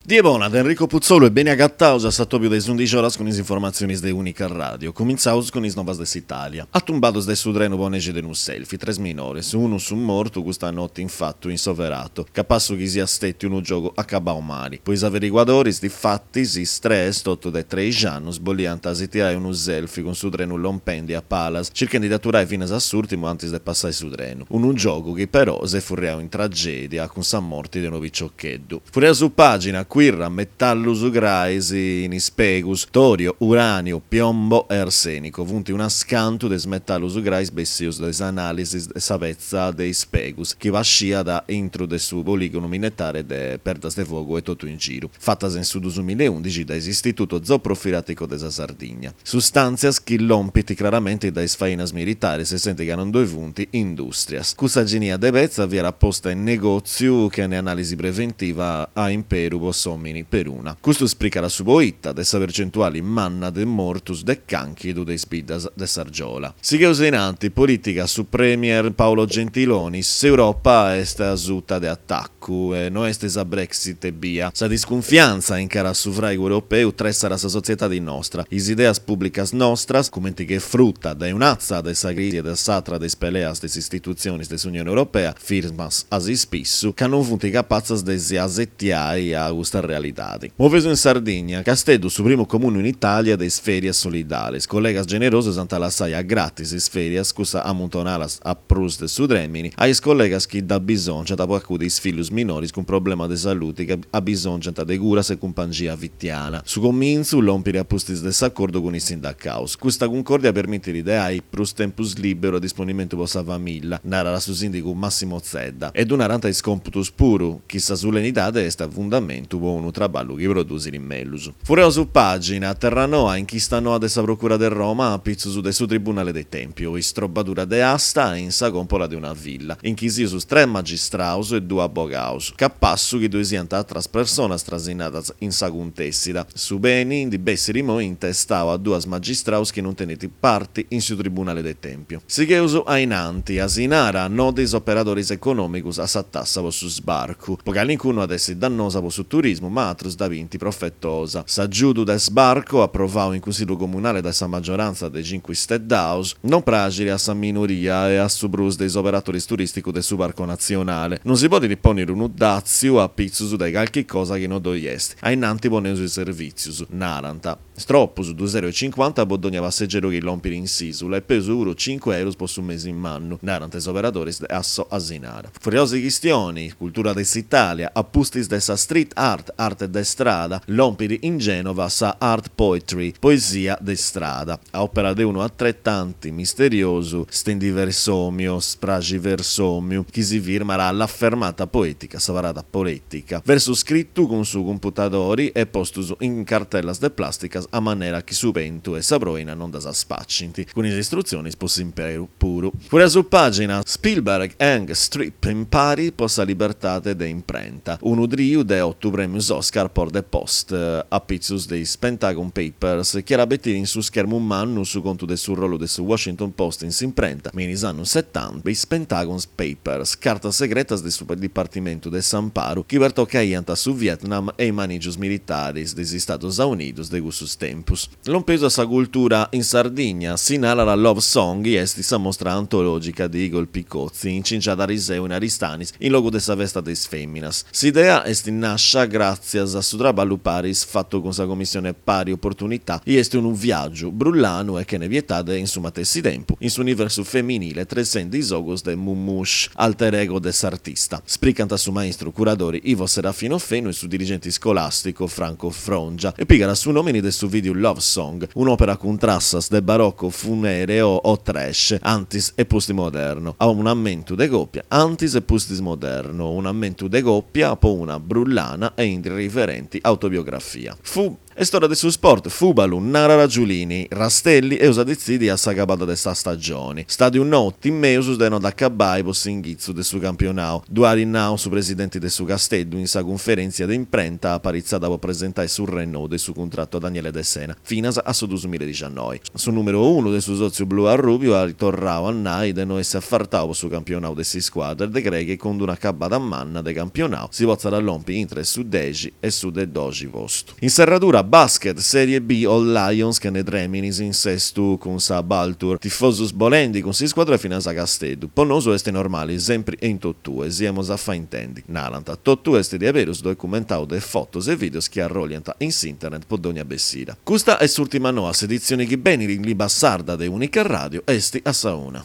Die bona de Enrico Putzolu e beni agataus a s'atobiu de is undixi oras cun is informatzionis de Unica Radio. Cumintzaus cun is novas de s'Italia. Atumbados de su trenu po nexi de unu selfie, tres minores, unu su mortu custa noti infatu in Soverato, capassu chi siat stètiu unu giogu acabau mali. Po is averiguadoris, difatis, is tres, totu de treixi annus, boliant si tirai unu selfie cun su trenu lompendi a palas, circhendi de aturai finas a s'ùrtimu antis de passai su trenu. Unu giogu chi però s'est furriau in tragèdia cun sa morti de unu piciocheddu. Furriaus pàgina, Quirra, metallus grais in is pegus, torio, uranio, piombo e arsenico funt unas cantu de is metallus grais bessius de is analisis de sa petza de is pegus chi pasciat intru de su poligonu minetare de Perdasdefogu e totu in giru, fatas in su dusumillaeundixi dae s'Istituto Zooprofilattico de sa Sardigna. Sustàntzias chi lompint craramenti dae is fainas militaris, senti ca non ddoi funt indùstrias. Custa genia de petza fiat posta in negòtziu chene anàlisi preventiva a imperu po s'òmini peruna. Custu spricat su poita de sa percentuali manna de mortus de cànchidu de is biddas de s'Argiola. Sigheus in anti, polìtica, su premier Paolo Gentiloni, S'Europa est asuta de atacu e no est sa Brexit ebbia. Sa discunfiantza in cara a su fràigu europeu tressat sa sotzietadi nostra, is ideas pùblicas nostras, cumenti che fruta dae un'atza de sa crisi e de s'atra de is peleas de is istitutzionis de s'Unioni Europea, firmas a s'ispissu, ca non funt capatzas de si asetiai a custa realidadi. Moveus in Sardigna, Casteddu su primu comunu in Itàlia de is fèrias solidales. Collegas generosos ant a lassai a gratis is fèrias, cussas amuntonadas a prus de su trèmini, a is collegas chi dd'abisòngiant po acudi is fillus minoris cun problema de saludi chi abisòngiant de curas e cumpangia fitiana. Su comintzu lompit a pustis de s'acordu cun is sindacaus. Custa cuncòrdia permitit de ai prus tempus lìberu a disponimentu po sa famìlla, narat su sìndigu Massimo Zedda. E ddu narant is còmputus puru, chi sa sulenidade est a fundamentu po unu traballu chi produsit mellus. Furriaus pàgina, Terranoa, inchista noa de sa Procura de Roma a pitzus de su Tribunale de Tèmpiu, istrobbadura de asta in sa còmpola de una villa, inchisius tres magistraus e duos abogaus, capassu chi ddoi siant atras personas trasinadas in sa cuntèssida. Su beni ndi bessit imoi intestau a duas magistraus chi non tenint parti in su Tribunale de Tèmpiu. Sigheus a in anti, Asinara, no de is operadoris econòmicus a sa tassa po su sbarcu. Po calincunu at essi dannosa po su turismu, ma atrus dda bint profetosa. S'agiudu de sbarco, aprovau in Cunsillu Comunale dae sa magiorantza de Cincu Isteddaus, non praxit a sa minoria e a su prus de is operatoris turìsticus de su Parco Natzionale. Non si podit pònniri unu dàtziu a pitzus de calchi cosa chi non ddoi est. A innanti poneus is servìtzius, narant. Tropus, dus euro e cincuanta po dogna passegeru chi lompit in s'ìsula e peus puru cincu eurus po su mesi mannu, narant is operadoris de Asso Asinara. Furriaus chistioni, cultura de s'Itàlia, a pustis de sa street art, arte de strada, lompit in Gènova sa art poetry, poesia de strada, a òpera de unu atretanti misteriosu stendiversòmiu, spraxiversòmiu, chi si firmat a L'affermata poetica, sa parada poètica, versus scritu cun su cumputadori e postus in cartellas de plàsticas a manera chi su bentu e sa proina non ddas spacint, cun is istrutzionis po s'imperu puru. Furriaus pàgina, Spielberg, Ang, Streep impari po sa libertade de imprenta, unu triu de otu prèmius Oscar po The Post, a pitzus de is Pentagon Papers, chi at a betiri in su schermu mannu su contu de su rolu de su Washington Post in s'imprenta, me in is annus setanta, is Pentagon Papers, cartas segretas de su Dipartimentu de s'Amparu chi pertocaiant su Vietnam e is manìgios militaris de is Istados Aunidos de cussus tempus. Lompeus a sa cultura in Sardigna, si narat Love Song i est sa mostra antològica de Igor Picozzi incingiada ariseu in Aristanis in logu de sa festa de is fèminas. S'idea est nàscia gràtzias a su traballu paris fatu cun sa Commissione Pari Opportunità i est unu viàgiu brullanu e chene pietade in su matessi tempu in s'universu feminile tressendi is ogus de Mummush, alter ego de s'artista. Spricant su maistru curadori Ivo Serafino Fenu e su dirigenti iscolàsticu Franco Frongia e pigat su nòmini de su vìdeu Love Song, un'òpera cun trassas de barocco funereo o trash, antis e pustis modernu, a un'ammentu de còpia, antis e pustis modernu, un'ammentu de còpia po una brullana e irriverenti autobiografia. Fu. Est ora de su sport, Fùbalu, narat Giulini, Rastelli, eus a detzidi a s'acabada de sa stagioni. Stàdiu nou, Timeus de no dd'acabbai po s'inghitzu de su campionau. Ddu at nau su presidenti de su Casteddu in sa cunferèntzia de imprenta aparitzada po presentai su rennou de su cuntratu a Daniele Dessena, finas a su duusmilladixiannoi. Su nùmeru unu de su sòtziu blu-arrùbiu at torrau a nai de no essi afartau po su campionau de s'iscuadra e de crei chi cun d'una acabada manna de campionau si potzat lompi intre su dexi e su de doxi postu. In serradura, basket, Serie B, Old Lions chene trèminis in Sestu cun sa Baltur. Tifosus bolendi cun s'iscuadra finas a Casteddu. Po nosu est normali, sempri e in totue, si emus a fai intendi. Narant. Totu est diaberus documentau de fotos e videos chi arrolliant in s'internet po dogna bessida. Custa est s'urtima noa, s'editzioni chi benit in limba sarda de Unica Radio est a sa una.